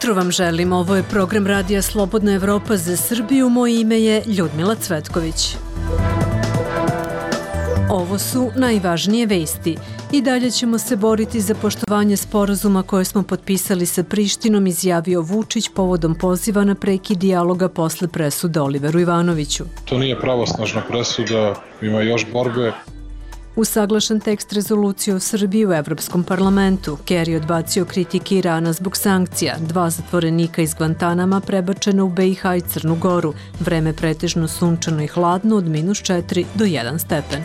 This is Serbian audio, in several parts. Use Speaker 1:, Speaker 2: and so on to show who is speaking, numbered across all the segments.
Speaker 1: jutro vam želim. Ovo je program Radija Slobodna Evropa za Srbiju. Moje ime je Ljudmila Cvetković. Ovo su najvažnije vesti. I dalje ćemo se boriti za poštovanje sporazuma koje smo potpisali sa Prištinom, izjavio Vučić povodom poziva na prekid dijaloga posle presude Oliveru Ivanoviću.
Speaker 2: To nije pravosnažna presuda, ima još borbe.
Speaker 1: Usaglašen tekst rezolucije o Srbiji u Evropskom parlamentu. Kerry odbacio kritike Irana zbog sankcija. 2 zatvorenika iz Guantanama prebačena u BiH i Crnu Goru. Vreme pretežno sunčano i hladno od -4 do 1 stepen.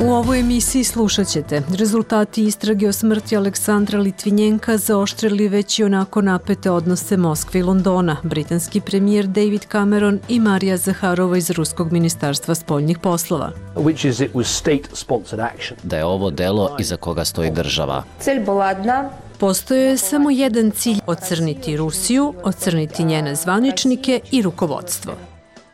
Speaker 1: U ovoj emisiji slušat ćete: rezultati istrage o smrti Aleksandra Litvinjenka zaoštrili već i onako napete odnose Moskve i Londona. Britanski premijer David Cameron i Marija Zaharova iz Ruskog ministarstva spoljnih poslova.
Speaker 3: Da je ovo delo iza koga stoji država.
Speaker 1: Postojao je samo jedan cilj: ocrniti Rusiju, ocrniti njene zvaničnike i rukovodstvo.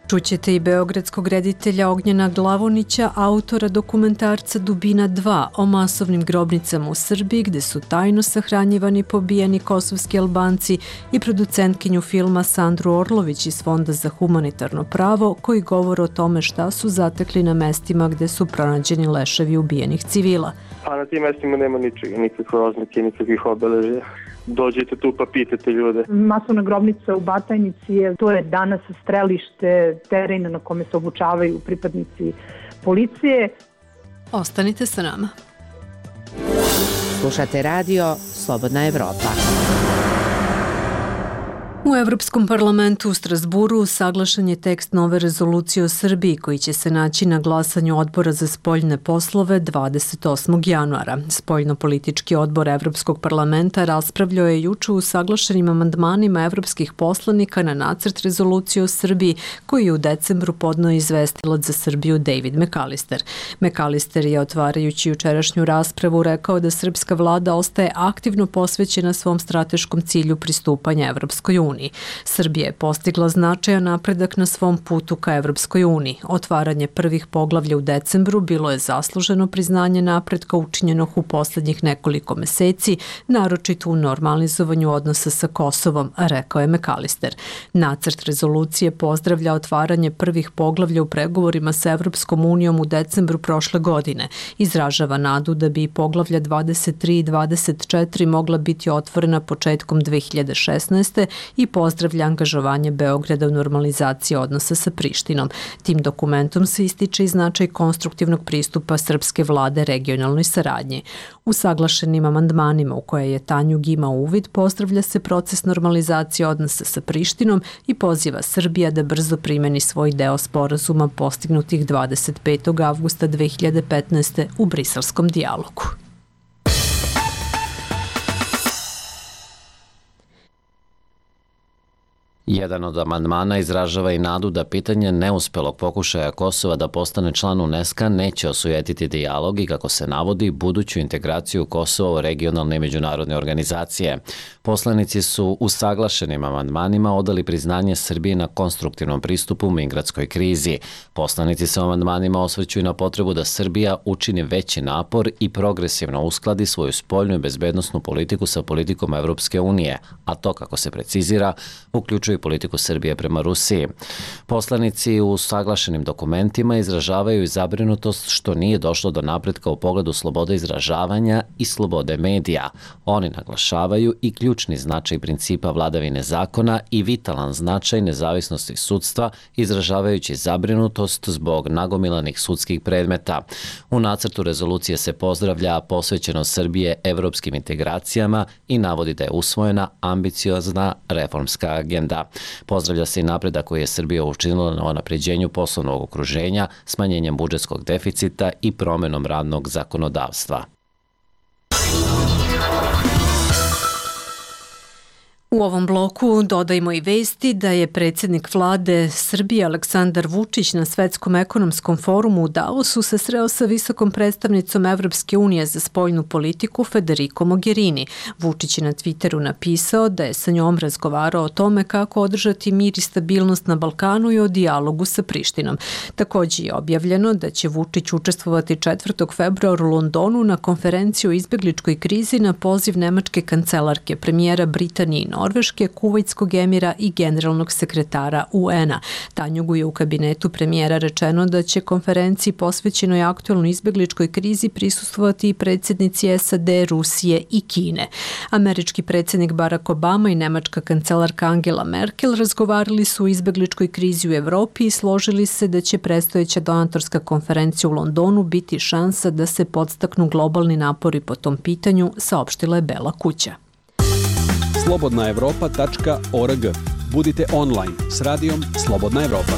Speaker 1: Čućete i beogradskog reditelja Ognjena Glavonića, autora dokumentarca Dubina 2 o masovnim grobnicama u Srbiji gde su tajno sahranjivani pobijeni kosovski Albanci, i producentkinju filma Sandru Orlović iz Fonda za humanitarno pravo, koji govore o tome šta su zatekli na mestima gde su pronađeni leševi ubijenih civila.
Speaker 4: Pa na tim mestima nema ničega, nikakve oznake, nikakvih obeležja. Dođete tu pa pitate ljude.
Speaker 5: Masovna grobnica u Batajnici to je danas strelište, teren na kome se obučavaju pripadnici policije.
Speaker 1: Ostanite sa nama.
Speaker 6: Slušate radio Slobodna Evropa.
Speaker 1: U Evropskom parlamentu u Strasburu usaglašen je tekst nove rezolucije o Srbiji koji će se naći na glasanju Odbora za spoljne poslove 28. januara. Spoljno-politički odbor Evropskog parlamenta raspravljao je juče u usaglašenim amandmanima evropskih poslanika na nacrt rezolucije o Srbiji koji je u decembru podneo izvestilac za Srbiju David McAllister. McAllister je, otvarajući jučerašnju raspravu, rekao da srpska vlada ostaje aktivno posvećena svom strateškom cilju pristupanja Evropskoj uniji. Srbija je postigla značajan napredak na svom putu ka Evropskoj uniji. Otvaranje prvih poglavlja u decembru bilo je zasluženo priznanje napretka učinjenog u poslednjih nekoliko meseci, naročito u normalizovanju odnosa sa Kosovom, rekao je McAllister. Nacrt rezolucije pozdravlja otvaranje prvih poglavlja u pregovorima sa Evropskom unijom u decembru prošle godine. Izražava nadu da bi poglavlja 23 i 24 mogla biti otvorena početkom 2016. i pozdravlja angažovanje Beograda u normalizaciji odnosa sa Prištinom. Tim dokumentom se ističe i značaj konstruktivnog pristupa srpske vlade regionalnoj saradnji. U saglašenim amandmanima u koje je Tanjug imao uvid, pozdravlja se proces normalizacije odnosa sa Prištinom i poziva Srbija da brzo primeni svoj deo sporazuma postignutih 25. avgusta 2015. u briselskom dijalogu.
Speaker 3: Jedan od amandmana izražava i nadu da pitanje neuspelog pokušaja Kosova da postane član UNESCO neće osujetiti dijalog i, kako se navodi, buduću integraciju Kosova u regionalne i međunarodne organizacije. Poslanici su usaglašenim amandmanima odali priznanje Srbiji na konstruktivnom pristupu migratskoj krizi. Poslanici se amandmanima osvrću i na potrebu da Srbija učini veći napor i progresivno uskladi svoju spoljnu i bezbednosnu politiku sa politikom Evropske unije, a to, kako se precizira, uključuje politiku Srbije prema Rusiji. Poslanici u usaglašenim dokumentima izražavaju i zabrinutost što nije došlo do napretka u pogledu slobode izražavanja i slobode medija. Oni naglašavaju i ključni značaj principa vladavine zakona i vitalan značaj nezavisnosti sudstva, izražavajući zabrinutost zbog nagomilanih sudskih predmeta. U nacrtu rezolucije se pozdravlja posvećenost Srbije evropskim integracijama i navodi da je usvojena ambiciozna reformska agenda. Pozdravlja se i napredak koji je Srbija učinila na unapređenju poslovnog okruženja, smanjenjem budžetskog deficita i promenom radnog zakonodavstva.
Speaker 1: U U ovom bloku dodajmo i vesti da je predsjednik vlade Srbije Aleksandar Vučić na Svetskom ekonomskom forumu u Davosu se sreo sa visokom predstavnicom Evropske unije za spoljnu politiku Federico Mogherini. Vučić je na Twitteru napisao da je sa njom razgovarao o tome kako održati mir i stabilnost na Balkanu i o dijalogu sa Prištinom. Također je objavljeno da će Vučić učestvovati 4. februara u Londonu na konferenciju o izbjegličkoj krizi na poziv nemačke kancelarke, premijera Britanije i Norveške, Kuvajtskog emira i generalnog sekretara UN-a. Tanjugu je u kabinetu premijera rečeno da će konferenciji posvećenoj aktualnoj izbjegličkoj krizi prisustvovati i predsjednici SAD, Rusije i Kine. Američki predsjednik Barack Obama i nemačka kancelarka Angela Merkel razgovarali su o izbjegličkoj krizi u Evropi i složili se da će predstojeća donatorska konferencija u Londonu biti šansa da se podstaknu globalni napori po tom pitanju, saopštila je Bela kuća.
Speaker 7: slobodnaevropa.org. Budite online s radijom Slobodna Evropa.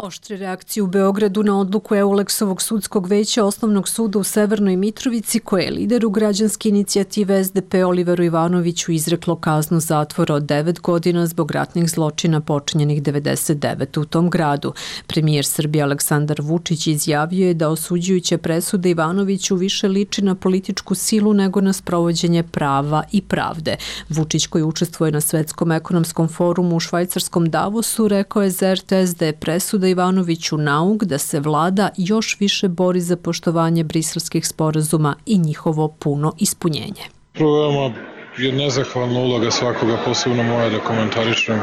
Speaker 1: Oštre reakcije u Beogradu na odluku Eulexovog sudskog veća Osnovnog suda u Severnoj Mitrovici, koje je lideru građanske inicijative SDP Oliveru Ivanoviću izreklo kaznu zatvora od 9 godina zbog ratnih zločina počinjenih 99 u tom gradu. Premijer Srbije Aleksandar Vučić izjavio je da osuđujuće presude Ivanoviću više liči na političku silu nego na sprovođenje prava i pravde. Vučić, koji učestvuje na Svetskom ekonomskom forumu u švajcarskom Davosu, rekao je za RTS da je presuda Ivanoviću nauk da se vlada još više bori za poštovanje briselskih sporazuma i njihovo puno ispunjenje.
Speaker 2: Veoma je nezahvalna uloga svakoga, posebno moja, da komentarišem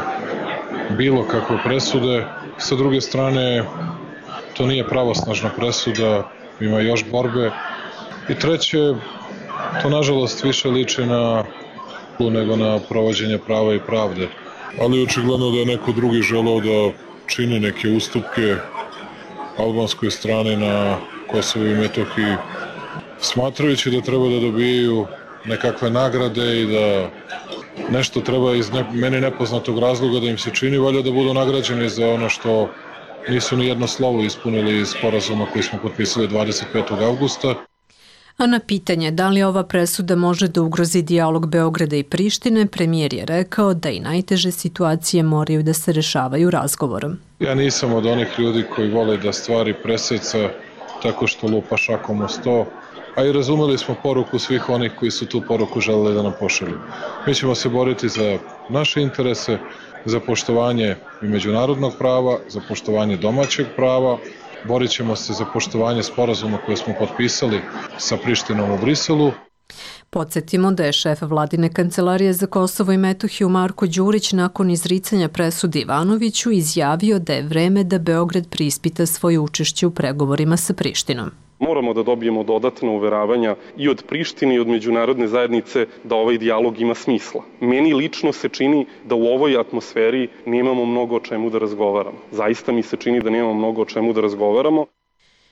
Speaker 2: bilo kakve presude. Sa druge strane, to nije pravosnažna presuda, ima još borbe. I treće, to nažalost više liči na nego na provođenje prava i pravde. Ali očigledno da je neko drugi želeo da čini neke ustupke albanskoj strani na Kosovu i Metohiji, smatrajući da treba da dobijaju nekakve nagrade i da nešto treba iz meni nepoznatog razloga da im se čini, valjda da budu nagrađeni za ono što nisu ni jedno slovo ispunili iz sporazuma koji smo potpisali 25. avgusta.
Speaker 1: A na pitanje da li ova presuda može da ugrozi dijalog Beograda i Prištine, premijer je rekao da i najteže situacije moraju da se rešavaju razgovorom.
Speaker 2: Ja nisam od onih ljudi koji vole da stvari preseca tako što lupa šakom o sto, a i razumeli smo poruku svih onih koji su tu poruku želeli da nam pošalju. Mi ćemo se boriti za naše interese, za poštovanje i međunarodnog prava, za poštovanje domaćeg prava. Borit ćemo se za poštovanje sporazuma koje smo potpisali sa Prištinom u Briselu.
Speaker 1: Podsjetimo da je šef vladine kancelarije za Kosovo i Metohiju Marko Đurić nakon izricanja presude Ivanoviću izjavio da je vreme da Beograd preispita svoje učešće u pregovorima sa Prištinom.
Speaker 8: Moramo da dobijemo dodatna uveravanja i od Prištine i od međunarodne zajednice da ovaj dijalog ima smisla. Meni lično se čini da u ovoj atmosferi nemamo mnogo o čemu da razgovaramo. Zaista mi se čini da nemamo mnogo o čemu da razgovaramo.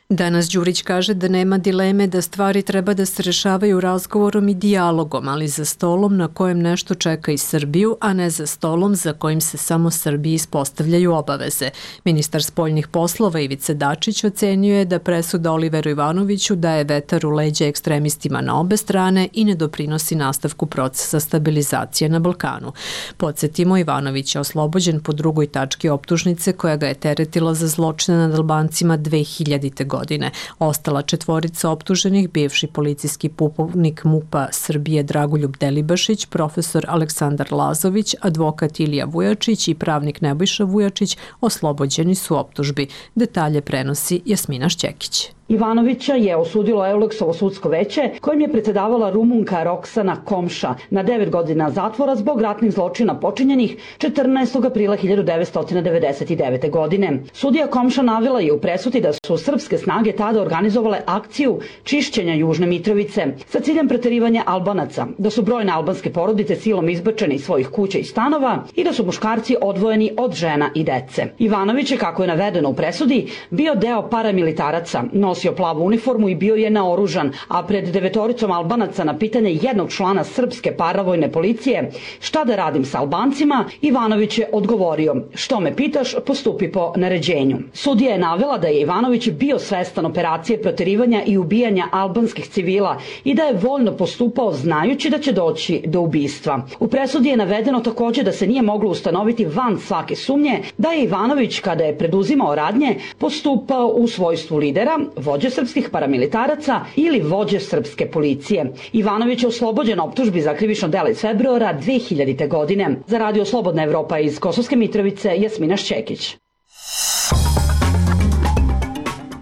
Speaker 1: Danas Đurić kaže da nema dileme da stvari treba da se rešavaju razgovorom i dijalogom, ali za stolom na kojem nešto čeka i Srbiju, a ne za stolom za kojim se samo Srbiji ispostavljaju obaveze. Ministar spoljnih poslova Ivica Dačić ocenio je da presuda Oliveru Ivanoviću daje vetar u leđa ekstremistima na obe strane i ne doprinosi nastavku procesa stabilizacije na Balkanu. Podsjetimo, Ivanović je oslobođen po drugoj tački optužnice koja ga je teretila za zločine nad Albancima 2000. godine. Ostala četvorica optuženih, bivši policijski pukovnik MUP-a Srbije Dragoljub Delibašić, profesor Aleksandar Lazović, advokat Ilija Vujačić i pravnik Nebojša Vujačić, oslobođeni su optužbi. Detalje prenosi Jasmina Šćekić.
Speaker 9: Ivanovića je osudilo Eulexovo sudsko veće, kojim je predsjedavala Rumunka Roksana Komša na 9 godina zatvora zbog ratnih zločina počinjenih 14. aprila 1999. godine. Sudija Komša navela je u presudi da su srpske snage tada organizovale akciju čišćenja Južne Mitrovice sa ciljem preterivanja Albanaca, da su brojne albanske porodice silom izbačene iz svojih kuća i stanova i da su muškarci odvojeni od žena i dece. Ivanović je, kako je navedeno u presudi, bio deo paramilitaraca, nosio plavu uniformu i bio je naoružan, a pred 9 Albanaca na pitanje jednog člana srpske paravojne policije šta da radim sa Albancima, Ivanović je odgovorio: što me pitaš, postupi po naređenju. Sudija je navela da je Ivanović bio svestan operacije proterivanja i ubijanja albanskih civila i da je voljno postupao znajući da će doći do ubistva. U presudi je navedeno takođe da se nije moglo ustanoviti van svake sumnje da je Ivanović, kada je preduzimao radnje, postupao u svojstvu lidera, vođe srpskih paramilitaraca ili vođe srpske policije. Ivanović je oslobođen optužbi za krivično delo iz februara 2000. godine. Za Radio Slobodna Evropa iz Kosovske Mitrovice, Jasmina Šćekić.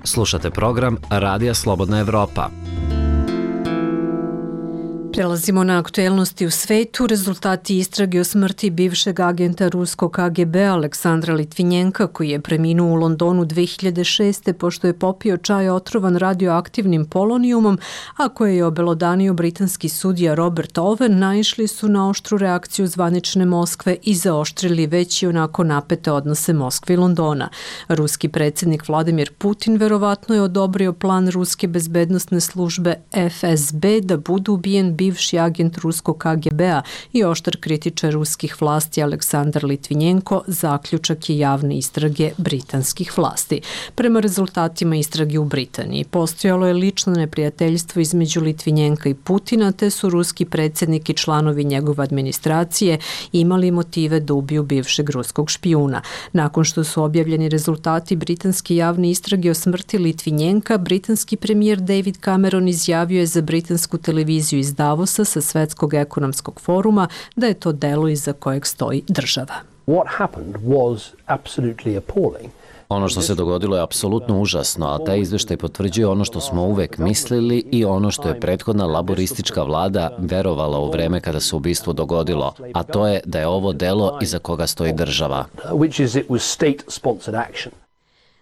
Speaker 3: Slušate program Radija Slobodna Evropa.
Speaker 1: Prelazimo na aktuelnosti u svetu. Rezultati istrage o smrti bivšeg agenta ruskog KGB Aleksandra Litvinjenka, koji je preminuo u Londonu 2006. pošto je popio čaj otrovan radioaktivnim polonijumom, a koje je obelodanio britanski sudija Robert Owen, naišli su na oštru reakciju zvanične Moskve i zaoštrili već i onako napete odnose Moskve i Londona. Ruski predsjednik Vladimir Putin verovatno je odobrio plan ruske bezbednosne službe FSB da bude ubijen bivši agent ruskog KGB-a i oštar kritičar ruskih vlasti Aleksandar Litvinjenko, zaključak je javne istrage britanskih vlasti. Prema rezultatima istrage u Britaniji, postojalo je lično neprijateljstvo između Litvinjenka i Putina, te su ruski predsjednik i članovi njegove administracije imali motive da ubiju bivšeg ruskog špijuna. Nakon što su objavljeni rezultati britanske javne istrage o smrti Litvinjenka, britanski premijer David Cameron izjavio je za britansku televiziju iz Davosa sa Svetskog ekonomskog foruma da je to delo iza kojeg stoji država.
Speaker 10: What happened was absolutely appalling.
Speaker 3: Ono što se dogodilo je apsolutno užasno, a taj izveštaj potvrđuje ono što smo uvek mislili i ono što je prethodna laboristička vlada verovala u vreme kada se ubistvo dogodilo, a to je da je ovo delo iza koga stoji država.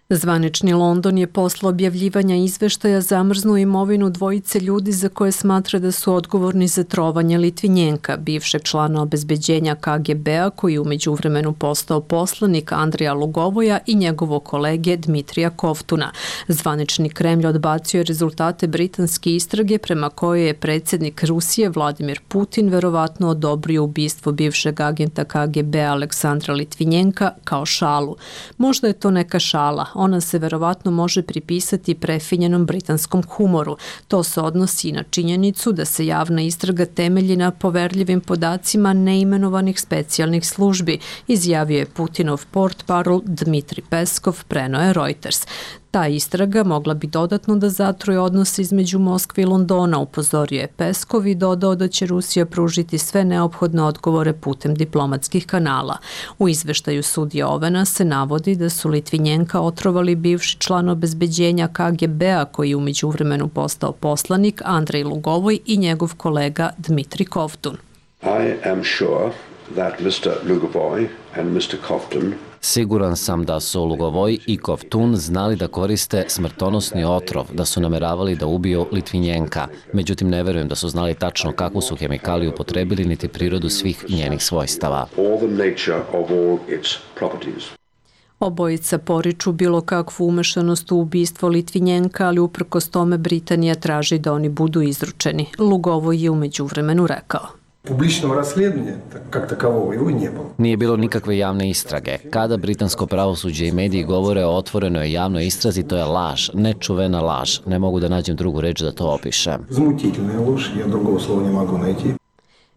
Speaker 1: Zvanični London je posle objavljivanja izveštaja zamrznuo imovinu dvojice ljudi za koje smatra da su odgovorni za trovanje Litvinjenka, bivšeg člana obezbeđenja KGB-a koji je u međuvremenu postao poslanik Andreja Lugovoja i njegovog kolege Dmitrija Koftuna. Zvanični Kremlj odbacio je rezultate britanske istrage prema kojoj je predsjednik Rusije Vladimir Putin verovatno odobrio ubistvo bivšeg agenta KGB-a Aleksandra Litvinjenka kao šalu. Možda je to neka šala. Ona se verovatno može pripisati prefinjenom britanskom humoru. To se odnosi i na činjenicu da se javna istraga temelji na poverljivim podacima neimenovanih specijalnih službi, izjavio je Putinov portparol Dmitri Peskov, preneo je Reuters. Ta istraga mogla bi dodatno da zatruje odnose između Moskve i Londona, upozorio je Peskov i dodao da će Rusija pružiti sve neophodne odgovore putem diplomatskih kanala. U izveštaju sudija Ovena se navodi da su Litvinjenka otrovali bivši član obezbeđenja KGB-a koji je u međuvremenu postao poslanik Andrej Lugovoj i njegov kolega Dmitri Koftun.
Speaker 11: I am sure that Mr. Lugovoj and Mr. Koftun
Speaker 3: Siguran sam da su Lugovoj i Koftun znali da koriste smrtonosni otrov, da su nameravali da ubiju Litvinjenka. Međutim, ne verujem da su znali tačno kakvu su hemikaliju upotrebili niti prirodu svih njenih svojstava.
Speaker 1: Obojica poriču bilo kakvu umešanost u ubistvo Litvinjenka, ali uprkos tome Britanija traži da oni budu izručeni. Lugovoj je u međuvremenu rekao:
Speaker 12: Publičnog rasledanja, как такового, его не было.
Speaker 3: Nije bilo nikakve javne istrage. Kada britansko pravosuđe i mediji govore o otvorenoj javnoj istrazi, to je laž, nečuvena laž. Ne mogu da nađem drugu reč da to opišem.
Speaker 12: Возмутительная ложь, я другого слова не могу найти.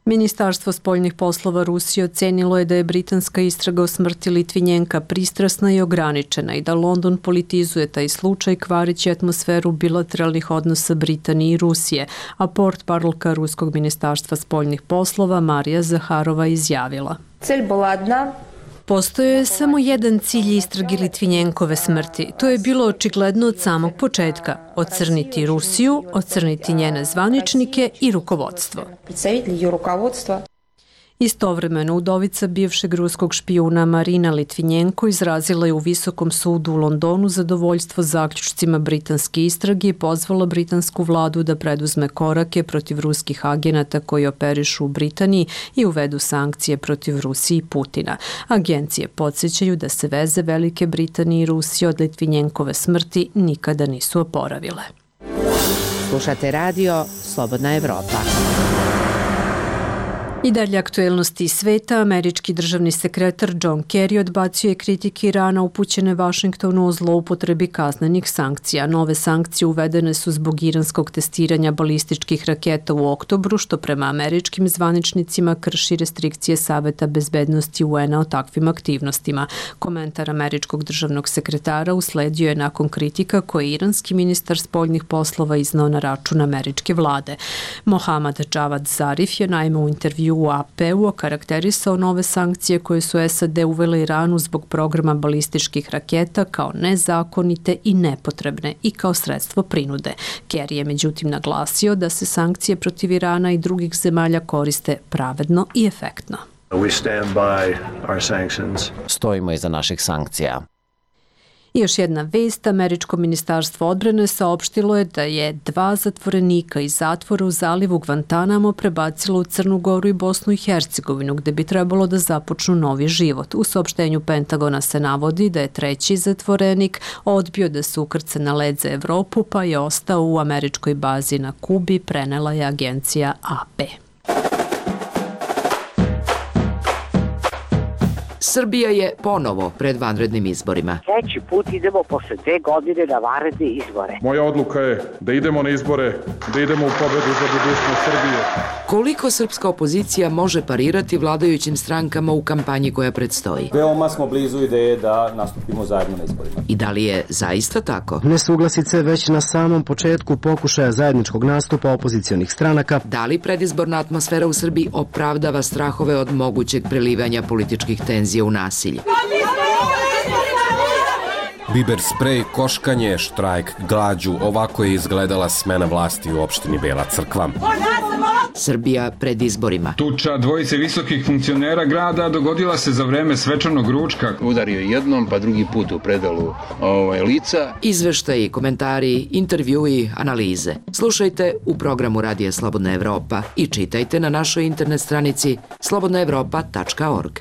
Speaker 1: Ministarstvo spoljnih poslova Rusije ocenilo je da je britanska istraga o smrti Litvinjenka pristrasna i ograničena i da London politizuje taj slučaj kvarići atmosferu bilateralnih odnosa Britanije i Rusije, a portparolka Ruskog ministarstva spoljnih poslova Marija Zaharova izjavila:
Speaker 13: Цель была одна.
Speaker 1: Postojao je samo jedan cilj istrage Litvinjenkove smrti. To je bilo očigledno od samog početka. Ocrniti Rusiju, ocrniti njene zvaničnike i rukovodstvo. Istovremeno, udovica bivšeg ruskog špijuna Marina Litvinjenko izrazila je u Visokom sudu u Londonu zadovoljstvo zaključcima britanske istrage i pozvala britansku vladu da preduzme korake protiv ruskih agenata koji operišu u Britaniji i uvedu sankcije protiv Rusije i Putina. Agencije podsjećaju da se veze Velike Britanije i Rusije od Litvinjenkove smrti nikada nisu oporavile.
Speaker 6: Slušate radio Slobodna Evropa.
Speaker 1: I dalje aktuelnosti sveta, američki državni sekretar John Kerry odbacio je kritike Irana upućene Vašingtonu o zloupotrebi kaznenih sankcija. Nove sankcije uvedene su zbog iranskog testiranja balističkih raketa u oktobru, što prema američkim zvaničnicima krši restrikcije Saveta bezbednosti UN-a o takvim aktivnostima. Komentar američkog državnog sekretara usledio je nakon kritika koje je iranski ministar spoljnih poslova iznao na račun američke vlade. Mohammad Javad Zarif je naime u intervju u AP-u okarakterisao nove sankcije koje su SAD uvele Iranu zbog programa balističkih raketa kao nezakonite i nepotrebne i kao sredstvo prinude. Kerry je međutim naglasio da se sankcije protiv Irana i drugih zemalja koriste pravedno i efektno.
Speaker 3: Stojimo iza naših sankcija.
Speaker 1: I još jedna vest, američko ministarstvo odbrane saopštilo je da je 2 zatvorenika iz zatvora u zalivu Guantanamo prebacilo u Crnu Goru i Bosnu i Hercegovinu, gde bi trebalo da započnu novi život. U saopštenju Pentagona se navodi da je 3. zatvorenik odbio da se ukrca na led za Evropu, pa je ostao u američkoj bazi na Kubi, prenela je agencija AP.
Speaker 13: Srbija je ponovo pred vanrednim izborima.
Speaker 14: Treći put idemo posle 2 godine na vanredne izbore.
Speaker 2: Moja odluka je da idemo na izbore, da idemo u pobedu za budućnost Srbije.
Speaker 13: Koliko srpska opozicija može parirati vladajućim strankama u kampanji koja predstoji?
Speaker 15: Veoma smo blizu ideje da nastupimo zajedno na izborima.
Speaker 13: I da li je zaista tako?
Speaker 16: Nesuglasice već na samom početku pokušaja zajedničkog nastupa opozicionih stranaka.
Speaker 13: Da li predizborna atmosfera u Srbiji opravdava strahove od mogućeg prelivanja političkih tenzija u nasilje?
Speaker 17: Biber sprej, koškanje, štrajk, glađu, ovako je izgledala smena vlasti u opštini Bela Crkva.
Speaker 13: Srbija pred izborima.
Speaker 18: Tuča dvojice visokih funkcionera grada dogodila se za vreme svečanog ručka.
Speaker 19: Udario jednom, pa drugi put u predalu lica.
Speaker 13: Izveštaji, komentari, intervjui, analize. Slušajte u programu Radija Slobodna Evropa i čitajte na našoj internet stranici slobodnaevropa.org.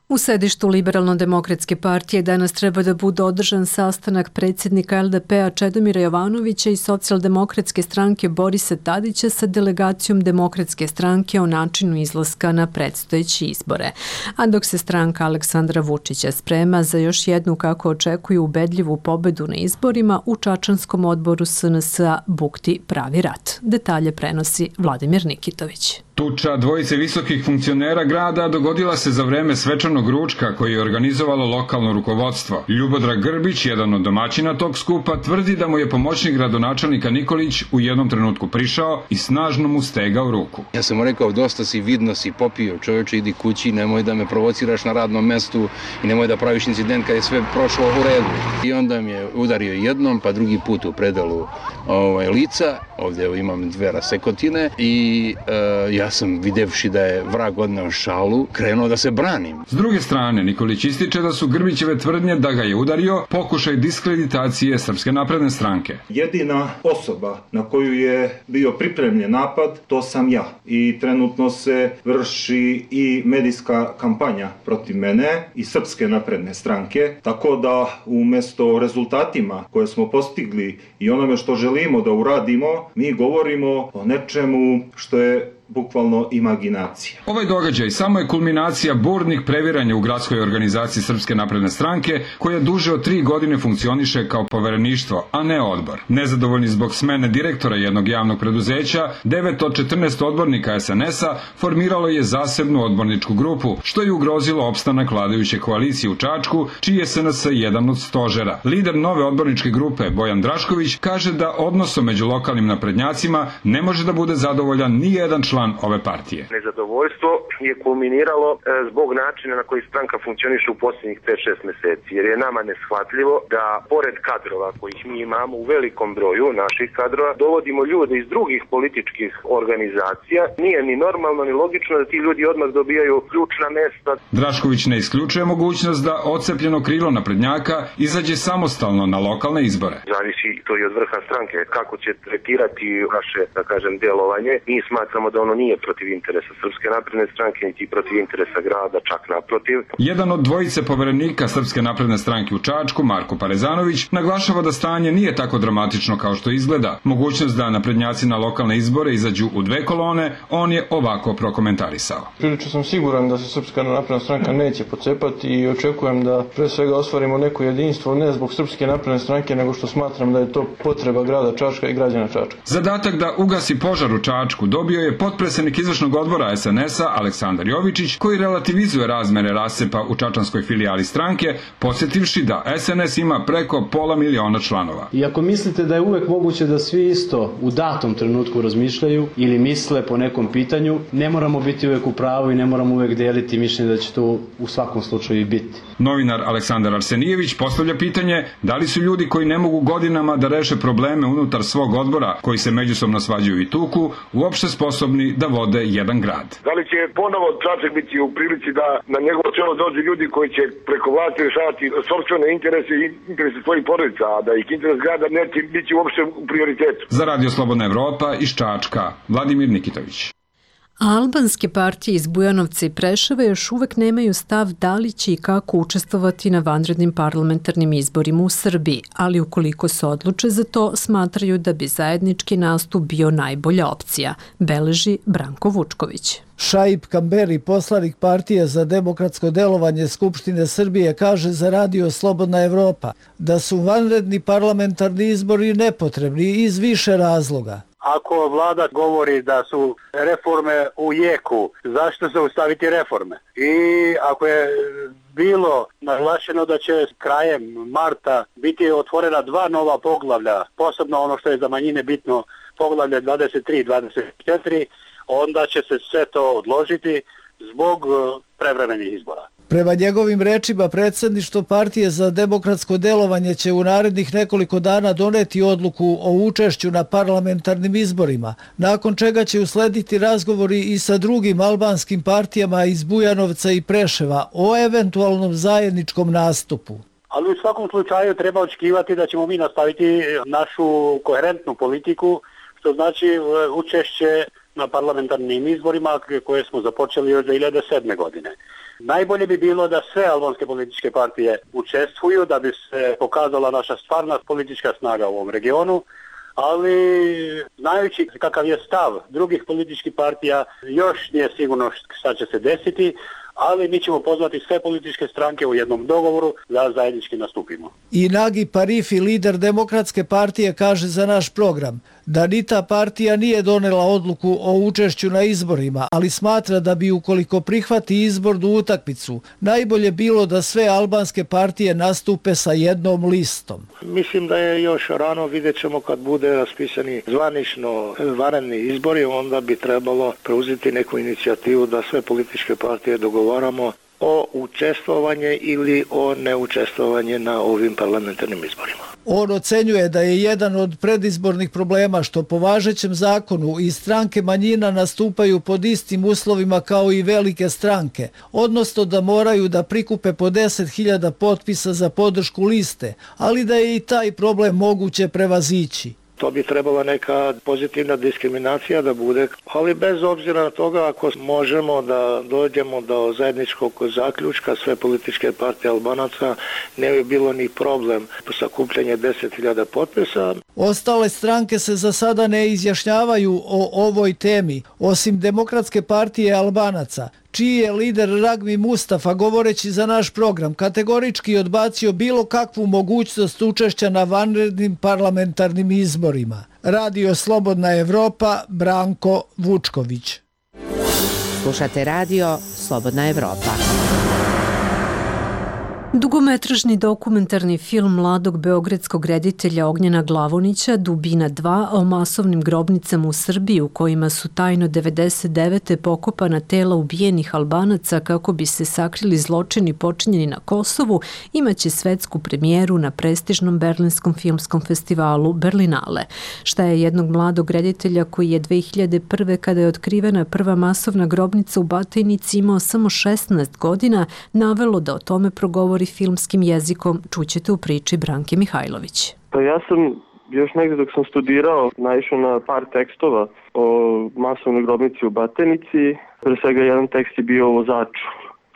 Speaker 1: U sedištu Liberalno-demokratske partije danas treba da bude održan sastanak predsjednika LDP-a Čedomira Jovanovića i Socijaldemokratske stranke Borisa Tadića sa delegacijom Demokratske stranke o načinu izlaska na predstojeće izbore. A dok se stranka Aleksandra Vučića sprema za još jednu, kako očekuju, ubedljivu pobedu na izborima, u Čačanskom odboru SNS-a bukti pravi rat. Detalje prenosi Vladimir Nikitović.
Speaker 18: Tuča dvojice visokih funkcionera grada dogodila se za vreme svečanog ručka koji je organizovalo lokalno rukovodstvo. Ljubodrag Grbić, jedan od domaćina tog skupa, tvrdi da mu je pomoćnik gradonačelnika Nikolić u jednom trenutku prišao i snažno mu stegao ruku.
Speaker 19: Ja sam mu rekao, dosta si, vidno si popio, čovječe, idi kući, nemoj da me provociraš na radnom mestu i nemoj da praviš incident kad je sve prošlo u redu. I onda mi je udario jednom, pa drugi put u predalu lica, ovdje imam 2 rasekotine i ja sam, videvši da je vrag odneo šalu, krenuo da se branim.
Speaker 18: S druge strane, Nikolić ističe da su Grbićeve tvrdnje da ga je udario pokušaj diskreditacije Srpske napredne stranke.
Speaker 20: Jedina osoba na koju je bio pripremljen napad, to sam ja. I trenutno se vrši i medijska kampanja protiv mene i Srpske napredne stranke, tako da umjesto rezultatima koje smo postigli i onome što želimo da uradimo, mi govorimo o nečemu što je bukvalno imaginacija.
Speaker 18: Ovaj događaj samo je kulminacija burnih previranja u gradskoj organizaciji Srpske napredne stranke, koja duže od 3 godine funkcioniše kao povereništvo, a ne odbor. Nezadovoljni zbog smene direktora jednog javnog preduzeća, 9 od 14 odbornika SNS-a formiralo je zasebnu odborničku grupu, što je ugrozilo opstanak vladajuće koalicije u Čačku, čiji je SNS jedan od stožera. Lider nove odborničke grupe, Bojan Drašković, kaže da odnosom među lokalnim naprednjacima ne može da bude zadovoljan ni jedan član član ove partije.
Speaker 21: Nezadovoljstvo je kulminiralo zbog načina na koji stranka funkcioniše u posljednjih 5-6 meseci, jer je nama neshvatljivo da pored kadrova kojih mi imamo u velikom broju naših kadrova, dovodimo ljude iz drugih političkih organizacija. Nije ni normalno ni logično da ti ljudi odmah dobijaju ključna mesta.
Speaker 18: Drašković ne isključuje mogućnost da odcepljeno krilo naprednjaka izađe samostalno na lokalne izbore.
Speaker 21: Zavisi to i od vrha stranke. Kako će tretirati naše, da kažem, delovanje. Mi smatramo da ono nije protiv interesa Srpske napredne stranke, niti protiv interesa grada, čak naprotiv.
Speaker 18: Jedan od dvojice poverenika Srpske napredne stranke u Čačku, Marko Parezanović, naglašava da stanje nije tako dramatično kao što izgleda. Mogućnost da naprednjaci na lokalne izbore izađu u 2 kolone, on je ovako prokomentarisao.
Speaker 22: Prilično sam siguran da se Srpska napredna stranka neće pocepati i očekujem da pre svega ostvarimo neko jedinstvo, ne zbog Srpske napredne stranke, nego što smatram da je to potreba grada Čačka i građana Čačka.
Speaker 18: Zadatak da ugasi požar u Čačku dobio je potpredsednik izvršnog odbora SNS-a Aleksandar Jovičić, koji relativizuje razmere rasepa u čačanskoj filijali stranke, podsjetivši da SNS ima preko 500.000 članova.
Speaker 23: I ako mislite da je uvek moguće da svi isto u datom trenutku razmišljaju ili misle po nekom pitanju, ne moramo biti uvek u pravu i ne moramo uvek deliti mišljenje da će to u svakom slučaju i biti.
Speaker 18: Novinar Aleksandar Arsenijević postavlja pitanje da li su ljudi koji ne mogu godinama da reše probleme unutar svog odbora, koji se međusobno svađaju i tuku, uopšte sposobni da vode jedan grad.
Speaker 24: Da li će ponovo Čačak biti u prilici da na njegovo čelo dođu ljudi koji će preko vlasti rešavati sopstvene interese i interese svojih porodica, a da ih interes grada neće biti uopšte u prioritetu.
Speaker 18: Za Radio Slobodna Evropa iz Čačka, Vladimir Nikitović.
Speaker 1: Albanske partije iz Bujanovca i Preševa još uvek nemaju stav da li će i kako učestvovati na vanrednim parlamentarnim izborima u Srbiji, ali ukoliko se odluče za to, smatraju da bi zajednički nastup bio najbolja opcija, beleži Branko Vučković.
Speaker 25: Šaip Kamberi, poslanik partije za demokratsko delovanje Skupštine Srbije, kaže za Radio Slobodna Evropa da su vanredni parlamentarni izbori nepotrebni iz više razloga.
Speaker 26: Ako vlada govori da su reforme u jeku, zašto zaustaviti reforme? I ako je bilo naglašeno da će krajem marta biti otvorena 2 nova poglavlja, posebno ono što je za manjine bitno, poglavlje 23 i 24, onda će se sve to odložiti zbog prevremenih izbora.
Speaker 25: Prema njegovim rečima, predsjedništvo partije za demokratsko delovanje će u narednih nekoliko dana doneti odluku o učešću na parlamentarnim izborima, nakon čega će uslediti razgovori i sa drugim albanskim partijama iz Bujanovca i Preševa o eventualnom zajedničkom nastupu.
Speaker 26: Ali u svakom slučaju treba očekivati da ćemo mi nastaviti našu koherentnu politiku, što znači učešće na parlamentarnim izborima koje smo započeli još 2007. godine. Najbolje bi bilo da sve albanske političke partije učestvuju da bi se pokazala naša stvarna politička snaga u ovom regionu, ali znajući kakav je stav drugih političkih partija, još nije sigurno šta će se desiti, ali mi ćemo pozvati sve političke stranke u jednom dogovoru da zajednički nastupimo.
Speaker 25: I Nagi Parifi, lider Demokratske partije, kaže za naš program da ni ta partija nije donela odluku o učešću na izborima, ali smatra da bi ukoliko prihvati izbornu utakmicu, najbolje bilo da sve albanske partije nastupe sa jednom listom.
Speaker 26: Mislim da je još rano, vidjet ćemo kad bude raspisani zvanično vanredni izbori, onda bi trebalo preuzeti neku inicijativu da sve političke partije dogovaramo o učestvovanje ili o neučestvovanje na ovim parlamentarnim izborima.
Speaker 25: On ocenjuje da je jedan od predizbornih problema što po važećem zakonu i stranke manjina nastupaju pod istim uslovima kao i velike stranke, odnosno da moraju da prikupe po 10.000 potpisa za podršku liste, ali da je i taj problem moguće prevazići.
Speaker 26: To bi trebala neka pozitivna diskriminacija da bude, ali bez obzira na toga ako možemo da dođemo do zajedničkog zaključka sve političke partije Albanaca, ne bi bilo ni problem sakupljanje 10.000 potpisa.
Speaker 25: Ostale stranke se za sada ne izjašnjavaju o ovoj temi, osim Demokratske partije Albanaca, čiji je lider Ragmi Mustafa, govoreći za naš program, kategorički odbacio bilo kakvu mogućnost učešća na vanrednim parlamentarnim izborima. Radio Slobodna Evropa, Branko Vučković.
Speaker 6: Slušate Radio Slobodna Evropa.
Speaker 1: Dugometražni dokumentarni film mladog beogradskog reditelja Ognjena Glavonića Dubina 2 o masovnim grobnicama u Srbiji u kojima su tajno 99. pokopana tela ubijenih Albanaca kako bi se sakrili zločini počinjeni na Kosovu imaće svetsku premijeru na prestižnom berlinskom filmskom festivalu Berlinale. Šta je jednog mladog reditelja koji je 2001. kada je otkrivena prva masovna grobnica u Batajnici imao samo 16 godina navelo da o tome progovori filmskim jezikom, čućete u priči Branke Mihajlović.
Speaker 4: Pa ja sam još negdje dok sam studirao naišao na par tekstova o masovnoj grobnici u Batajnici. Pre svega jedan tekst je bio o vozaču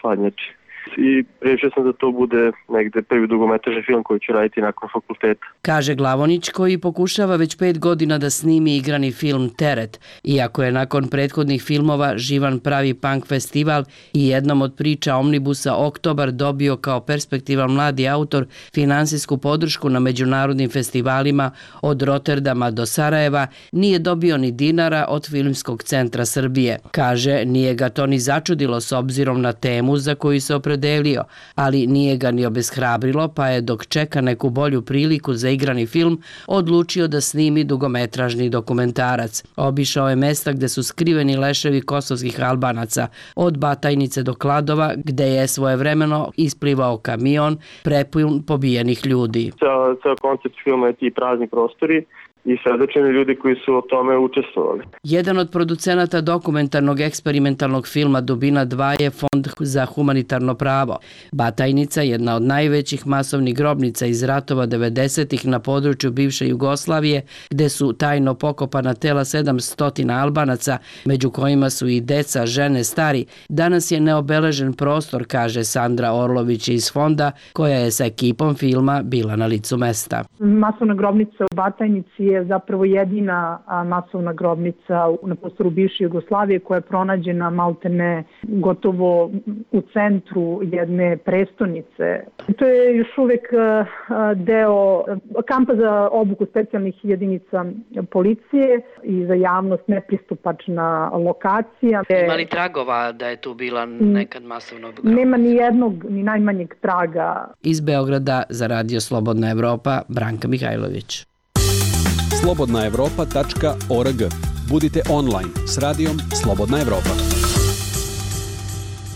Speaker 4: hladnjači. I rešio sam da to bude negde prvi dugometražni film koji ću raditi nakon fakulteta.
Speaker 5: Kaže Glavonić koji pokušava već 5 godina da snimi igrani film Teret. Iako je nakon prethodnih filmova Živan pravi punk festival i jednom od priča Omnibusa Oktobar dobio kao perspektivan mladi autor finansijsku podršku na međunarodnim festivalima od Rotterdama do Sarajeva, nije dobio ni dinara od Filmskog centra Srbije. Kaže, nije ga to ni začudilo s obzirom na temu za koju se opredelio, ali nije ga ni obeshrabrilo, pa je dok čeka neku bolju priliku za igrani film, odlučio da snimi dugometražni dokumentarac. Obišao je mesta gde su skriveni leševi kosovskih Albanaca, od Batajnice do Kladova, gde je svojevremeno isplivao kamion prepun pobijenih ljudi.
Speaker 4: Ceo koncept filma je ti prazni prostori i svedočeni ljudi koji su o tome učestvovali.
Speaker 5: Jedan od producenata dokumentarnog eksperimentalnog filma Dubina 2 je Fond za humanitarno pravo. Batajnica, jedna od najvećih masovnih grobnica iz ratova 90-ih na području bivše Jugoslavije, gde su tajno pokopana tela 700 Albanaca, među kojima su i deca, žene, stari, danas je neobeležen prostor, kaže Sandra Orlović iz Fonda, koja je sa ekipom filma bila na licu mesta.
Speaker 7: Masovna grobnica u Batajnici je zapravo jedina masovna grobnica na prostoru bivše Jugoslavije koja je pronađena maltene gotovo u centru jedne prestonice. To je još uvek deo kampa za obuku specijalnih jedinica policije i za javnost nepristupačna lokacija.
Speaker 5: Ima li tragova da je tu bila nekad masovna grobnica?
Speaker 7: Nema ni jednog, ni najmanjeg traga.
Speaker 5: Iz Beograda za Radio Slobodna Evropa, Branka Mihajlović.
Speaker 8: slobodnaevropa.org. Budite online s radijom Slobodna Evropa.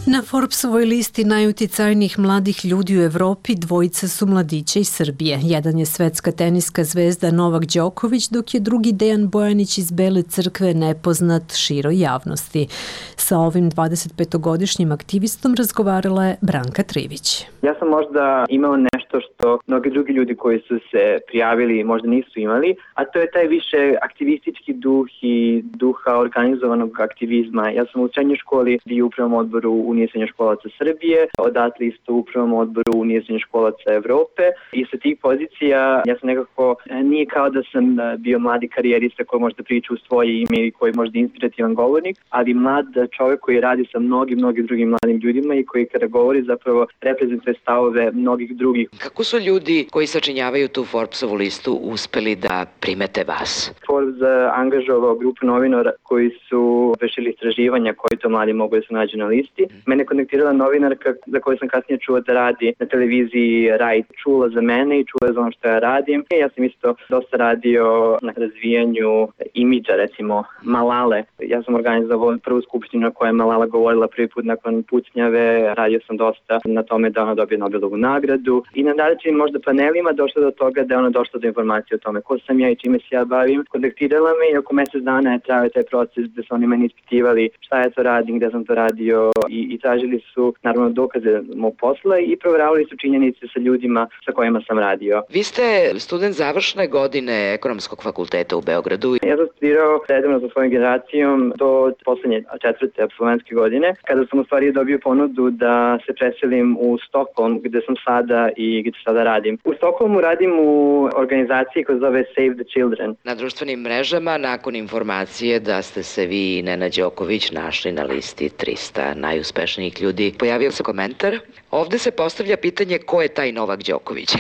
Speaker 1: Na Forbesovoj listi najuticajnijih mladih ljudi u Evropi dvojica su mladića iz Srbije. Jedan je svetska teniska zvezda Novak Đoković, dok je drugi Dejan Bojanić iz Bele Crkve nepoznat široj javnosti. Sa ovim 25-godišnjim aktivistom razgovarala je Branka Trivić.
Speaker 9: Ja sam možda imao nešto što mnogi drugi ljudi koji su se prijavili možda nisu imali, a to je taj više aktivistički duh i duha organizovanog aktivizma. Ja sam u srednjoj školi bio u upravnom odboru Unije srednjoškolaca Srbije, odatle isto u upravnom odboru Unije srednjoškolaca Evrope i sa tih pozicija ja sam nekako, nije kao da sam bio mladi karijerista koji možda priča u svoje ime i koji možda inspirativan govornik, ali mlad čovjek koji radi sa mnogim drugim mladim ljudima i koji kada govori zapravo reprezentuje stavove mnogih drugih.
Speaker 13: Kako su ljudi koji sačinjavaju tu Forbesovu listu uspeli da primete vas?
Speaker 9: Forbes angažovao grupu novinara koji su vršili istraživanja koji to mladi mogu da se nađu na listi. Mene kontaktirala novinarka za koju sam kasnije čuo da radi na televiziji Rai. Čula za mene i čula za ono što ja radim. Ja sam isto dosta radio na razvijanju imidža, recimo Malale. Ja sam organizovao prvu skupštinu na kojoj je Malala govorila prvi put nakon pucnjave. Radio sam dosta na tome da ona dobije Nobelovu nagradu. I na različitim možda panelima došlo do toga da je ona došla do informacije o tome ko sam ja i čime se ja bavim. Kontaktirala me i oko mjesec dana je trajao taj proces gde su oni meni ispitivali šta ja to radim, gde sam to radio i tražili su naravno dokaze mog posla i provjeravali su činjenice sa ljudima sa kojima sam radio.
Speaker 13: Vi ste student završne godine Ekonomskog fakulteta u Beogradu.
Speaker 9: Ja sam studirao redovno sa svojom generacijom do poslednje 4. apsolventske godine, kada sam u stvari dobio ponudu da se preselim u Stockholm, gde sam sada i gde sada radim. U Stockholmu radim u organizaciji koja zove Save the Children.
Speaker 13: Na društvenim mrežama, nakon informacije da ste se vi i Nenad Đoković našli na listi 300 najuspešnijih ljudi, pojavio se komentar Ovde se postavlja pitanje ko je taj Novak Đoković.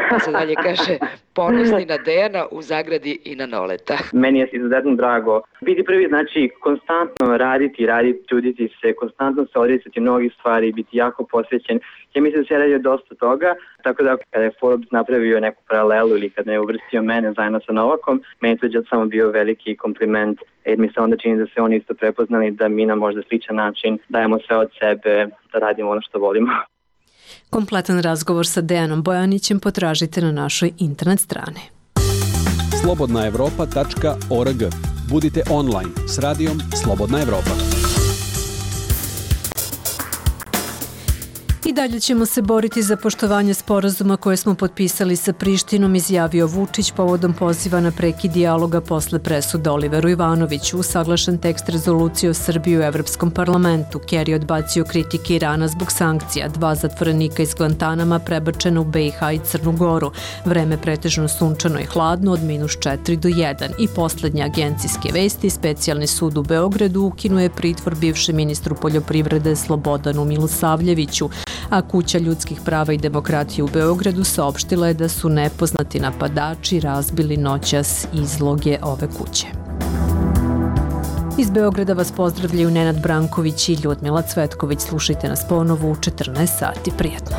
Speaker 13: Pa se dalje kaže ponosni na Dejana u zagradi i na Noleta.
Speaker 9: Meni je izuzetno drago biti prvi, znači konstantno raditi, truditi se, konstantno se odricati mnogih stvari, biti jako posvećen. Ja mislim da se radio dosta toga, tako da kada je Forbes napravio neku paralelu ili kada je uvrstio mene zajedno sa Novakom, meni to je samo bio veliki kompliment, jer mi se onda čini da se oni isto prepoznali da mi na možda sličan način dajemo sve od sebe, da radimo ono što volimo.
Speaker 1: Kompletan razgovor sa Dejanom Bojanićem potražite na našoj internet strani.
Speaker 8: slobodnaevropa.org. Budite online s radijom Slobodna Evropa.
Speaker 1: I dalje ćemo se boriti za poštovanje sporazuma koje smo potpisali sa Prištinom, izjavio Vučić povodom poziva na prekid dijaloga posle presude Oliveru Ivanoviću. Usaglašen tekst rezolucije o Srbiji u Evropskom parlamentu. Kerry odbacio kritike Irana zbog sankcija. 2 zatvorenika iz Guantanama prebačena u BiH i Crnu Goru. Vreme pretežno sunčano i hladno od -4 do 1. I poslednje agencijske vesti. Specijalni sud u Beogradu ukinuje pritvor bivšem ministru poljoprivrede Slobodanu Milosavljeviću, a Kuća ljudskih prava i demokratije u Beogradu saopštila je da su nepoznati napadači razbili noćas izloge ove kuće. Iz Beograda vas pozdravljaju Nenad Branković i Ljudmila Cvetković. Slušajte nas ponovo u 14 sati. Prijetno.